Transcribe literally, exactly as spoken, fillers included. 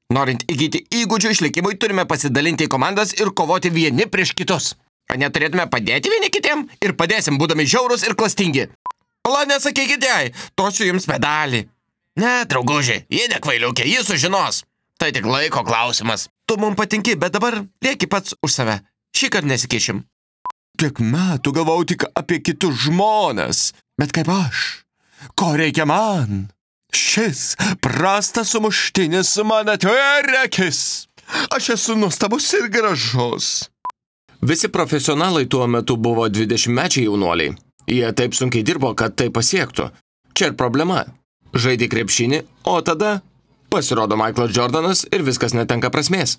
Norint įgyti įgūdžių išlikimui, turime pasidalinti į komandas ir kovoti vieni prieš kitus. Ar neturėtume padėti vieni kitiem ir padėsim, būdami žiaurus ir klastingi? La, nesakykite jai, tosiu jums medalį. Ne, drauguži, jie nekvailiukė, jis sužinos. Tai tik laiko klausimas. Tu mums patinki, bet dabar lieki pats už save. Šįkart nesikišim. Tiek metų galvau tik apie kitus žmones, bet kaip aš, ko reikia man? Šis prastas sumuštinis man atveria akis. Aš esu nuostabus ir gražus. Visi profesionalai tuo metu buvo dvidešimtmečiai jaunuoliai. Jie taip sunkiai dirbo, kad tai pasiektų. Čia ir problema. Žaidė krepšinį, o tada pasirodo Michaelas Jordanas ir viskas netenka prasmės.